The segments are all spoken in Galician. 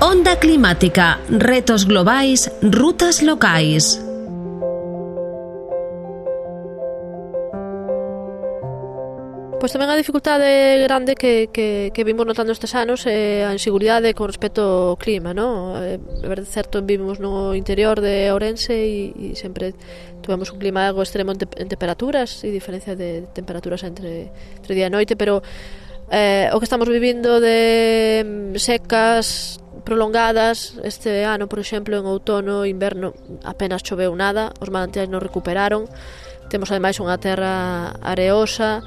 Onda climática, retos globais, rutas locais. Pois tamén a dificultade grande que vimos notando estes anos é a inseguridade con respecto ao clima, non? É certo, vivimos no interior de Ourense e sempre tuvemos un clima algo extremo en temperaturas e diferencia de temperaturas entre día e noite, pero o que estamos vivindo de secas prolongadas este ano, por exemplo, en outono e inverno apenas choveu nada, os manantiais non recuperaron, temos ademais unha terra areosa.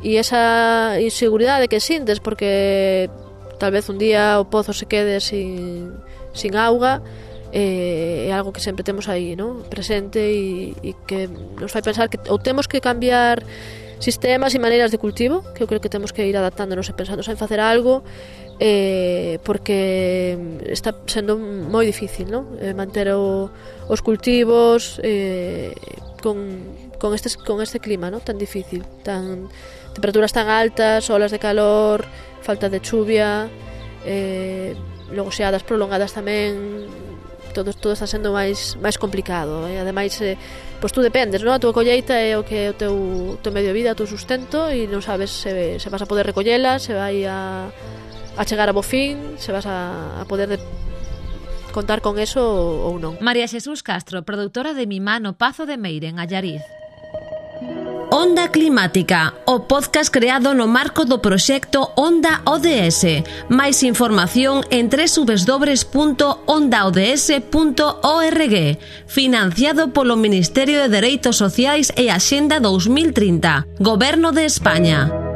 E esa inseguridade que sintes porque tal vez un día o pozo se quede sin auga é algo que sempre temos aí, ¿no? Presente e que nos fai pensar que ou temos que cambiar sistemas e maneiras de cultivo, que eu creo que temos que ir adaptándonos e pensando en facer algo porque está sendo moi difícil, ¿no? Manter os cultivos con este clima, ¿no? Tan difícil, temperaturas tan altas, olas de calor, falta de chuvia, logo xeadas prolongadas tamén, todo está sendo máis complicado, ademais pois tú dependes, non? A tua colleita é o que é o teu medio de vida, o teu sustento e non sabes se vas a poder recollela, se vai a chegar a bo fin, se vas a poder contar con eso ou non. María Xesús Castro, produtora de Mimano Pazo de Meire, en Allariz. Onda Climática, o podcast creado no marco do proxecto Onda ODS. Máis información en www.ondaods.org. Financiado polo Ministerio de Dereitos Sociais e Axenda 2030. Goberno de España.